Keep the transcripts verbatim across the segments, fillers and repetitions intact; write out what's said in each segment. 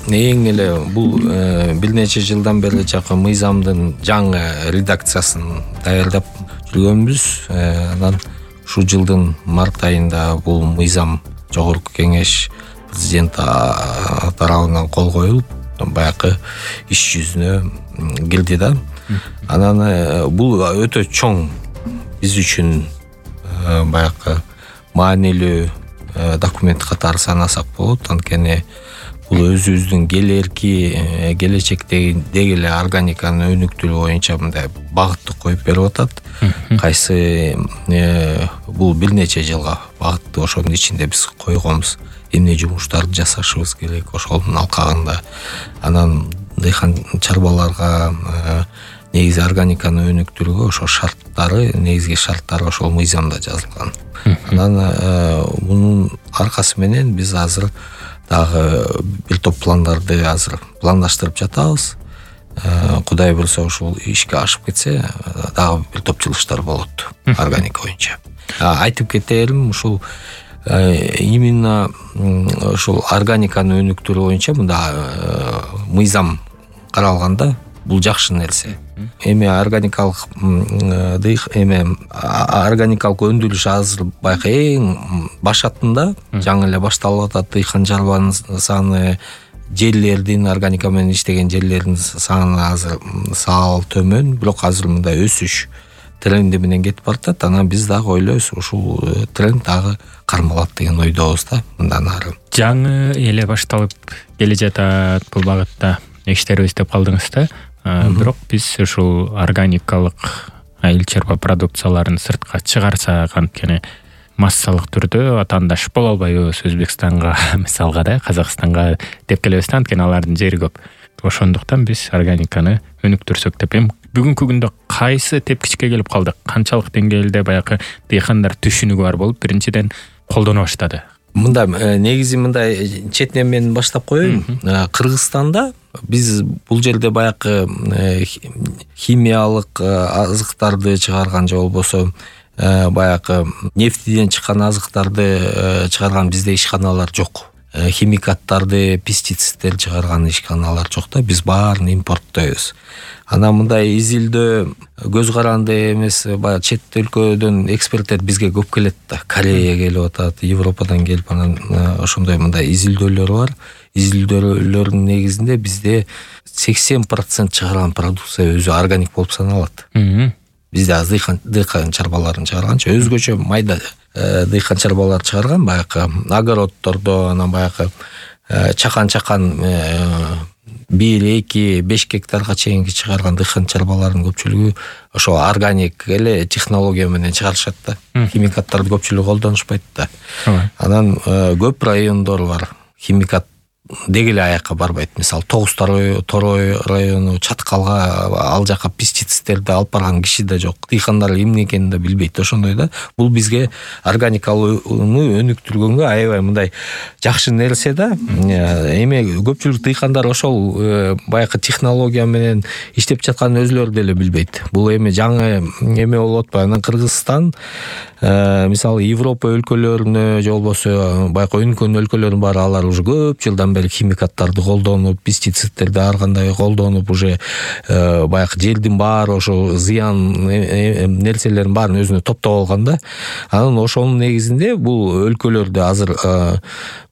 эң эле бул бир нече жылдан бери чакы мыйзамдын жаңы редакциясын даярдап жүргөнбүз. Анан ушул жылдын март айында бул мыйзам жогорку кеңеш президент тарабынан кол коюлуп, баягы иш жүзүнө кирди да. Анан бул өтө чоң биз үчүн баягы маанилүү документ катары санасак болот. Анткени бул өзүбүздүн келерки келечектеги эле органиканын өнүктүрүү боюнча мындай багытты коюп берип атат. Кайсы бул бир нече жылга багытты ошонун ичинде биз койгонбуз. Эмне жумуштарды жасашыбыз керек ошонун алкагында. Анан дыйкан чарбаларга негизи органиканы өнүктүрүүгө ошо шарттары, негизги шарттары ошол мыйзамда жазылган. Анан мунун аркасы менен биз азыр дагы бир топ пландарды азыр пландаштырып жатабыз. Кудай буюрса ушул ишке ашып кетсе, дагы бир топ жылыштар болот органика боюнча. Айтып кетерим, ушул именно ушул органиканы өнүктүрүү боюнча мында мыйзам каралганда бул жакшы нерсе. Эми органикалык дыйк эме органикалык өндүрүш азыр баягы эң башатында, жаңы эле башталып атат. Дыйкан чарбанын саны, жерлердин органика менен иштеген жерлердин саны азыр сал төмөн, бирок азыр мындай өсүш тренди менен кетип баратат. Анан биз дагы ойлойбуз, ушул тренд дагы кармалат деген ойдобуз да мындан ары. Жаңы эле башталып келе жатат бул багытта иштерибиз деп калдыңыз да. Бирок биз ушул органикалык айыл чарба продукцияларын сыртка чыгарсак, анткени массалык түрдө атаандаш боло албайбыз Өзбекстанга, мисалга да, Казакстанга деп келебиз да, анткени алардын жери көп. Ошондуктан биз органиканы өнүктүрсөк деп эми бүгүнкү күндө кайсы тепкичке келип калдык? Канчалык деңгээлде баягы дыйкандар түшүнүгү бар болуп, биринчиден колдоно баштады? Мындай негизи мындай четинен мен баштап коеюн. Кыргызстанда биз бул жерде баягы химиялык азыктарды чыгарган же болбосо баягы нефтиден чыккан азыктарды чыгарган бизде ишканалар жок. Химикаттарды, пестицидтерди чыгарган ишканалар жок да, биз баарын импорттойбуз. Анан мындай изилдөө көз каранды эмес, баягы чет өлкөдөн эксперттер бизге көп келет да. Корея келип атат, Европадан келип, анан ошондой мындай изилдөөлөр бар. Изилдөөлөрдүн негизинде бизде сексен процент чыгарган продукция өзү органик болуп саналат. Бизде аз дыйкан чарбаларын чыгарганчы, өзгөчө майда дыйкан чарбалар чыгарган, баягы огороддордо, анан баягы чакан-чакан бир, эки, беш гектарга чейинки чыгарган дыйкан чарбалардын көпчүлүгү ошо органик эле технология менен чыгарышат да. Химикаттарды көпчүлүгү колдонушпайт да. Анан көп райондор бар, химикат деги эле аякка барбайт. Мисалы Тогуз Торой району, Чаткалга ал жака пестицидтерди алып барган киши да жок. Дыйкандар эмне экенин да билбейт. Ошондой да. Бул бизге органикалык өнүктүргөнгө аябай мындай жакшы нерсе да. Эми көпчүлүк дыйкандар ошол баягы технология менен иштеп жатканын өзүлөрү деле билбейт. Бул эми жаңы эме болуп атпайбы? Анан Кыргызстан мисалы Европа өлкөлөрүнө же болбосо баягы өнүккөн өлкөлөрүн бар, алар уже көп жылдан бери химикаттарды колдонуп, пестицидтерди ар кандай колдонуп, уже баягы жердин баары ошо зыян нерселердин баарын өзүнө топтоп алган да. Анан ошонун негизинде бул өлкөлөрдө азыр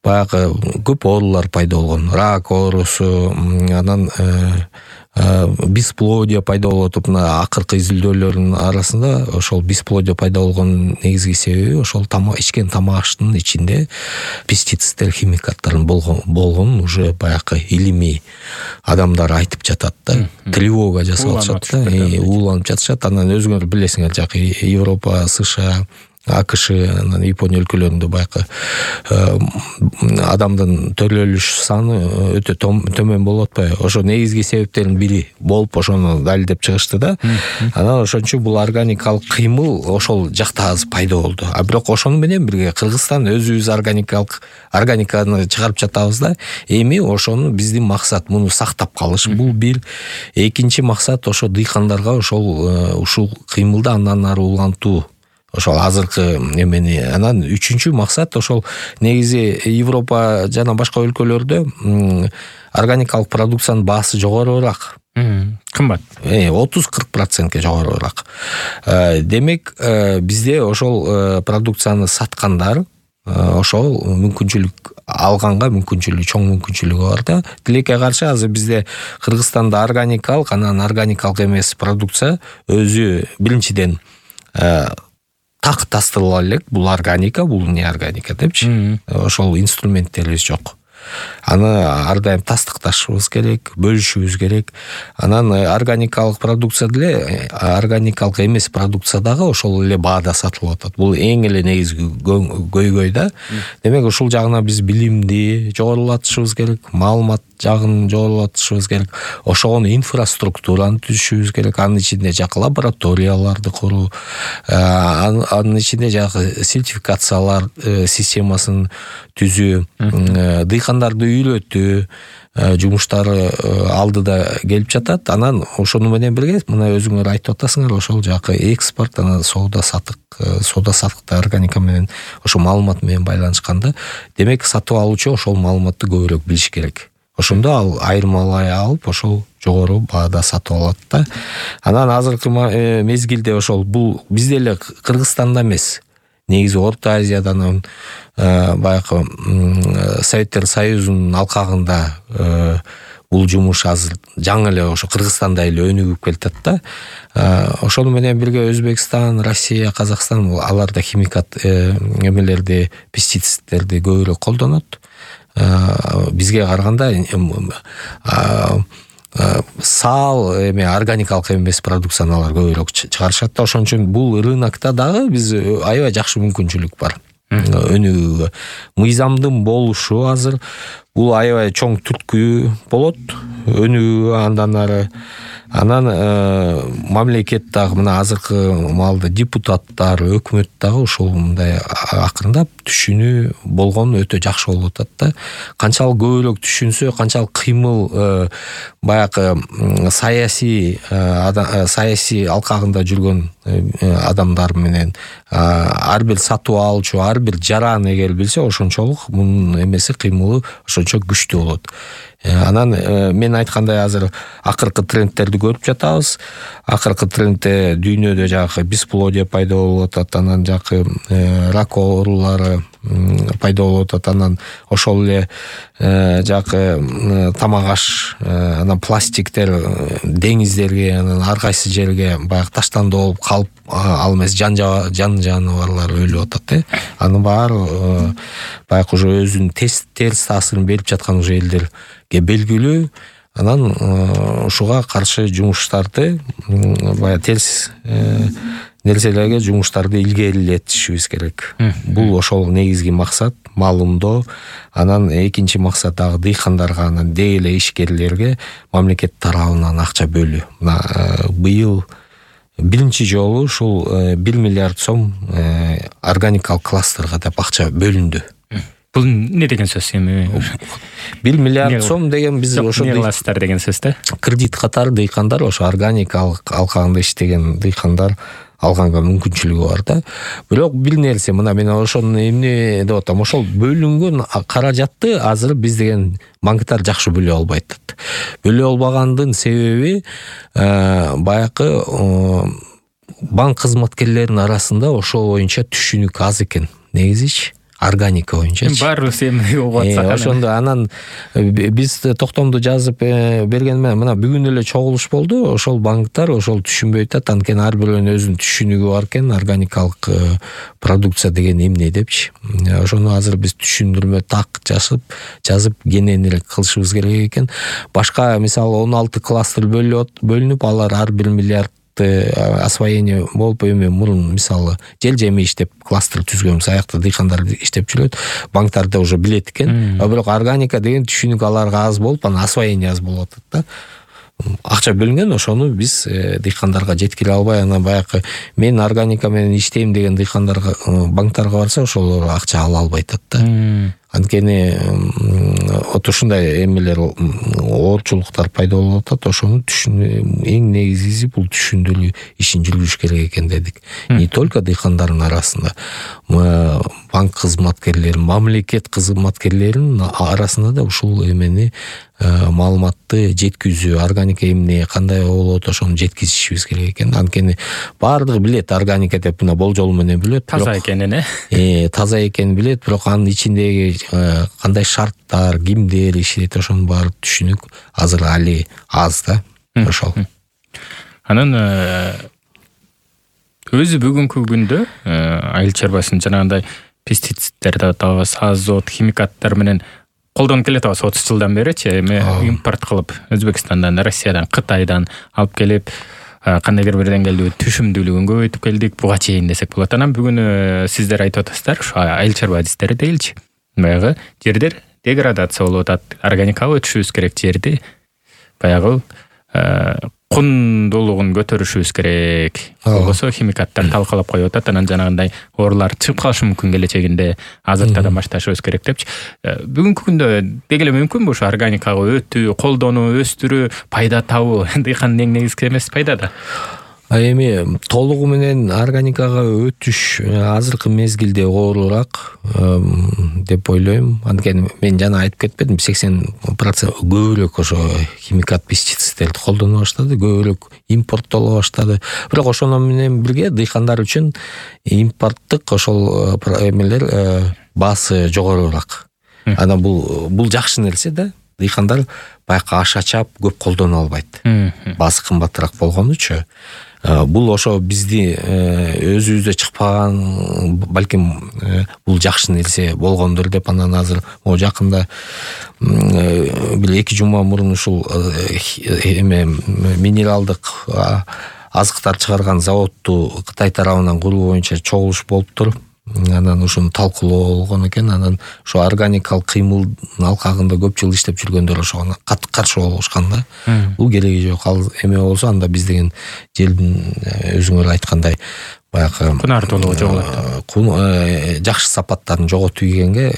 баягы көп оорулар пайда болгон. Рак оорусу, анан бесплодие пайда болуп атып, мына акыркы изилдөөлөрдүн арасында ошол бесплодие пайда болгон негизги себеби ошол тамак ичкен тамак аштын ичинде пестицидтер, химикаттардын болгонун уже баягы илимий адамдар айтып жатат да. Тревога жасап атышат да, ууланып жатышат. Анан өзүңөр билесиңер, жакы Европа, США, АКШ, анан Япония өлкөлөрүндө баягы адамдын төрөлүш саны өтө төмөн болуп атпайбы? Ошо негизги себептердин бири болуп ошону далилдеп чыгышты да. Анан ошон үчүн бул органикалык кыймыл ошол жакта аз пайда болду. А бирок ошону менен бирге Кыргызстан өзүбүз органикалык органиканы чыгарып жатабыз да. Эми ошону биздин максат муну сактап калыш. Бул бир. Экинчи максат ошо дыйкандарга ошол ушул кыймылды андан ары улантуу. ошол азыркы эмени. Анан үчүнчү максат ошол негизи Европа жана башка өлкөлөрдө органикалык продукциянын баасы жогорураак. Кымбат. отуз кырк процентке жогорураак. Демек, бизде ошол продукцияны саткандар ошол мүмкүнчүлүк алганга мүмкүнчүлүгү чоң мүмкүнчүлүгү бар да. Тилекке каршы азыр бизде Кыргызстанда органикалык, анан органикалык эмес продукция өзү биринчиден так тастырыла элек. Бул органика, бул не органика депчи. Ошол инструменттерибиз жок. Аны ар дайым тастыкташыбыз керек, бөлүшүбүз керек. Анан органикалык продукция деле органикалык эмес продукция дагы ошол эле баада сатылып атат. Бул эң эле негизги көйгөй да. Демек ушул жагына биз билимди жогорулатышыбыз керек, маалымат жагын жогорулатышыбыз керек. Ошого инфраструктураны түзүшүбүз керек. Анын ичинде жакы лабораторияларды куруу, анын ичинде жакы сертификациялар системасын түзүү, дыйкандарды үйрөтүү жумуштары алдыда келип жатат. Анан ошону менен бирге мына өзүңөр айтып атасыңар, ошол жакы экспорт, анан соода сатык, соода сатыкта органика менен ошол маалымат менен байланышканда, демек сатып алуучу ошол маалыматты көбүрөөк билиш керек. Ошондо ал айырмалай алып, ошол жогору баада сатып алат да. Анан азыркы мезгилде ошол бул бизде эле Кыргызстанда эмес, негизи Орто Азиядан, баягы Советтер Союзунун алкагында бул жумуш азыр жаңы эле ошо Кыргызстанда эле өнүгүп келатат да. Ошону менен бирге Өзбекстан, Россия, Казакстан аларда химикат эмелерди, пестицидтерди көбүрөөк колдонот. Бизге караганда сал эме органикалык эмес продукцияны алар көбүрөөк чыгарышат да. Ошон үчүн бул рынокто дагы биз аябай жакшы мүмкүнчүлүк бар өнүгүүгө. Мыйзамдын болушу азыр бул аябай чоң түрткү болот өнүгүүгө андан ары. Анан мамлекет дагы мына азыркы маалда депутаттар, өкмөт дагы ушул мындай акырындап түшүнүү болгон өтө жакшы болуп атат да. Канчалык көбүрөөк түшүнсө, канчалык кыймыл баягы саясий саясий алкагында жүргөн адамдар менен ар бир сатып алуучу, ар бир жаран эгер билсе, ошончолук мунун эмеси кыймылы ошончо күчтүү болот. Анан мен айткандай азыр акыркы трендтерди көрүп жатабыз. Акыркы трендте дүйнөдө жакы бесплодие пайда болуп атат, анан жакы рак оорулары пайда болуп атат. Анан ошол эле жакы тамак аш, анан пластиктер деңиздерге, анан ар кайсы жерге баягы таштанды болуп калып, ал эмес жан жан жаныбарлар өлүп атат. Анын баары баягы уже өзүнүн терс таасирин берип жаткан уже элдерге белгилүү. Анан ушуга каршы жумуштарды, баягы терс нерселерге жумуштарды илгерилетишибиз керек. Бул ошол негизги максат, маалымдоо. Анан экинчи максат дагы дыйкандарга, анан деги эле ишкерлерге мамлекет тарабынан акча бөлүү. Мына быйыл биринчи жолу ушул бир миллиард сом органикалык кластерга деп акча бөлүндү. Бул не деген сөз эми? бир миллиард сом деген биз ошо кластер деген сөз да. Кредит катары дыйкандар, ошо органикалык алкагында иштеген дыйкандар алганга мүмкүнчүлүгү бар да. Бирок бир нерсе, мына мен ошону эмне деп атам, ошол бөлүнгөн каражатты азыр биз деген банктар жакшы бөлө албайт. Бөлө албагандын себеби баягы банк кызматкерлеринин арасында ошол боюнча түшүнүк аз экен. Негизичи органика боюнча. Баарыбыз эми угуп атсак. Ошондо анан биз токтомду жазып берген менен мына бүгүн эле чогулуш болду. Ошол банктар ошол түшүнбөй атат. Анткени ар бирөөнүн өзүнүн түшүнүгү бар экен, органикалык продукция деген эмне депчи. Ошону азыр биз түшүндүрмө так жазып, жазып кененирээк кылышыбыз керек экен. Башка мисалы он алты кластер бөлүнүп, алар ар бир миллиард освоение болуп, эми мурун мисалы жел жемиш деп кластер түзгөнбүз, аякта дыйкандар иштеп жүрөт, банктарда уже билет экен. А бирок органика деген түшүнүк аларга аз болуп, анан освоение аз болуп атат да. Акча бөлүнгөн, ошону биз дыйкандарга жеткире албай, анан баягы мен органика менен иштейм деген дыйкандарга, банктарга барса, ошолор акча ала албай атат да. Анткени вот ушундай эмелер оорчулуктар пайда болуп атат. Ошону түшүн эң негизгиси бул түшүндүрүү ишин жүргүзүш керек экен дедик. Не только дыйкандардын арасында, банк кызматкерлери, мамлекет кызматкерлеринин арасында да ушул эмени маалыматты жеткизүү, органика эмне кандай болот ошону жеткизишибиз керек экен. Анткени баардыгы билет органика деп мына болжол менен билет, таза экенин, э таза экенин билет, бирок анын ичиндеги кандай шарттар, кимдер иштейт, ошонун баары түшүнүк азыр али аз да. Ошол. Анан өзү бүгүнкү күндө айыл чарбасын жанагындай пестициддерди атабыз, азот, химикаттар менен колдонуп келатабыз отуз жылдан беричи. Эми импорт кылып Өзбекстандан, Россиядан, Кытайдан алып келип кандайдыр бир деңгээлде түшүмдүүлүгүн көбөйтүп келдик буга чейин десек болот. Анан бүгүн сиздер айтып атасыздар, ушу айыл чарба адистери дейилчи. Баягы жердер деградация болуп атат, органикага өтүшүбүз керек, жерди баягы кундуулугун көтөрүшүбүз керек. Болбосо химикаттар талкалап коюп атат, анан жанагындай оорулар чыгып калышы мүмкүн келечегинде, азыртадан башташыбыз керек депчи. Бүгүнкү күндө деги эле мүмкүнбү ушу органикага өтүү, колдонуу, өстүрүү, пайда табуу? Дыйкандын эң негизги эмеси пайда да. Эми толугу менен органикага өтүш азыркы мезгилде оорурак деп ойлойм. Анткени мен жана айтып кетпедим, сексен процент көбүрөөк ошо химикат, пестициддерди колдоно баштады, көбүрөөк импорттоло баштады. Бирок ошону менен бирге дыйкандар үчүн импорттук ошол эмелер баасы жогорураак. Анан бул бул жакшы нерсе да. Дыйкандар баягы аша чап көп колдоно албайт. Баасы кымбатыраак болгонучу. Бул ошо бизди өзүбүздө чыкпаган, балким бул жакшы нерсе болгондур деп анан азыр могу жакында бир эки жума мурун ушул эме минералдык азыктар чыгарган заводду Кытай тарабынан куруу боюнча чогулуш болуптур. Анан ушуну талкуулоо болгон экен. Анан ошо органикалык кыймылдын алкагында көп жыл иштеп жүргөндөр ошого катты каршы болушкан да. Бул кереги жок. Ал эме болсо анда биз деген жердин өзүңөр айткандай баягы кунартуулугу жоголот. Жакшы сапаттарын жоготуу дегенге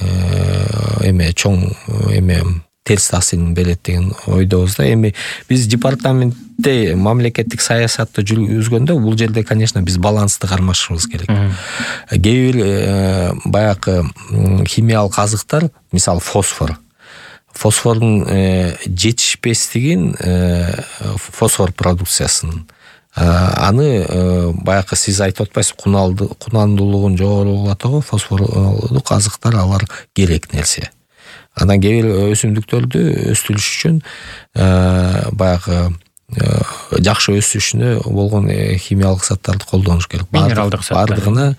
эме чоң эме терс таасирин берет деген ойдобуз да. Эми биз департаментте мамлекеттик саясатты жүргүзгөндө бул жерде, конечно, биз балансты кармашыбыз керек. Кээ бир баягы химиялык азыктар, мисалы фосфор. Фосфордун жетишпестигин, фосфор продукциясын аны баягы сиз айтып атпайсыз, кунандуулугун жогорулатуу фосфордук азыктар алар керек нерсе. Анан кээ бир өсүмдүктөрдү өстүрүш үчүн баягы жакшы өсүшүнө болгон химиялык заттарды колдонуш керек. Минералдык заттар. Бардыгына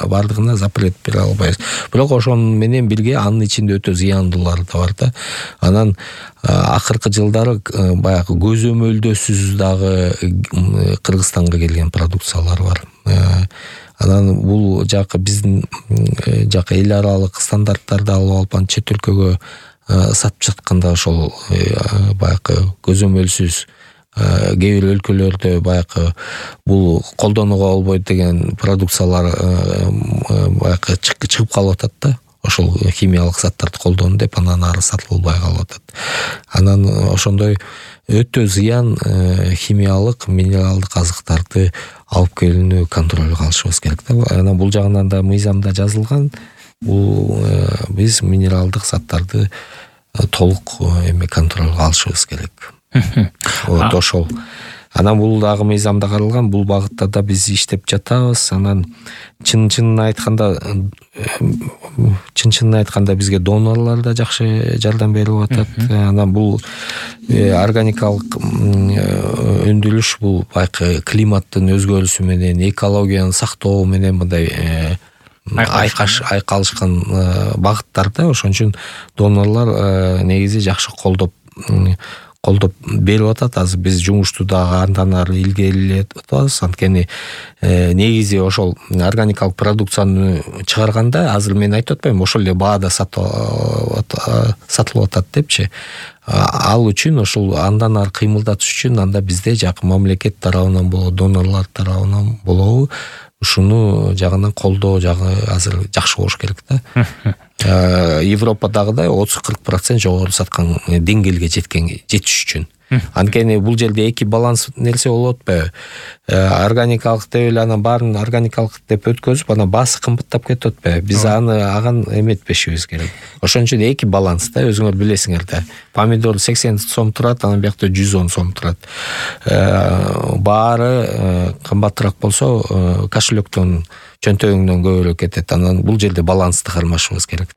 бардыгына запрет бере албайбыз. Бирок ошонун менен бирге анын ичинде өтө зыяндуулары да бар да. Анан акыркы жылдары баягы көзөмөлдөсүз дагы Кыргызстанга келген продукциялар бар. Анан бул жакы биздин жакы эл аралык стандарттарды алып алып анан чет өлкөгө сатып жатканда ошол баягы көзөмөлсүз кээ бир өлкөлөрдө баягы бул колдонууга болбойт деген продукциялар баягы чыгып калып атат да. Ошол химиялык заттарды колдону деп анан ары сатылбай калып атат. Анан ошондой өтө зыян химиялык, минералдык азыктарды алып келүүнү контролго алышыбыз керек да. Анан бул жагынан да мыйзамда жазылган. Бул биз минералдык заттарды толук эме контролго алышыбыз керек. Вот ошол. Анан бул дагы мыйзамда каралган, бул багытта да биз иштеп жатабыз. Анан чын-чынын айтканда чын-чынын айтканда бизге донорлор да жакшы жардам берип атат. Анан бул органикалык өндүрүш бул баягы климаттын өзгөрүшү менен, экологияны сактоо менен мындай айкаш айкалышкан багыттар да. Ошон үчүн донорлор негизи жакшы колдоп колдоп берип атат. Азыр биз жумушту дагы андан ары илгерилетип атабыз. Анткени негизи ошол органикалык продукцияны чыгарганда азыр мен айтып атпайм, ошол эле баада сатылып атат депчи. Ал үчүн ошол андан ары кыймылдатыш үчүн анда бизде жакы мамлекет тарабынан болобу, донорлор тарабынан болобу ушуну жагынан колдоо жагы азыр жакшы болуш керек да. Европадагыдай отуз кырк процент жогору саткан деңгээлге жеткен жетиш үчүн. Анткени бул жерде эки баланс нерсе болуп атпайбы? Органикалык деп эле анан баарын органикалык деп өткөзүп, анан баасы кымбаттап кетип атпайбы? Биз аны аган эметпешибиз керек. Ошон үчүн эки баланс да, өзүңөр билесиңер да. Помидор сексен сом турат, анан биякта жүз он сом турат. Баары кымбатыраак болсо, кошелектон, чөнтөгүңдөн көбүрөөк кетет. Анан бул жерде балансты кармашыбыз керек.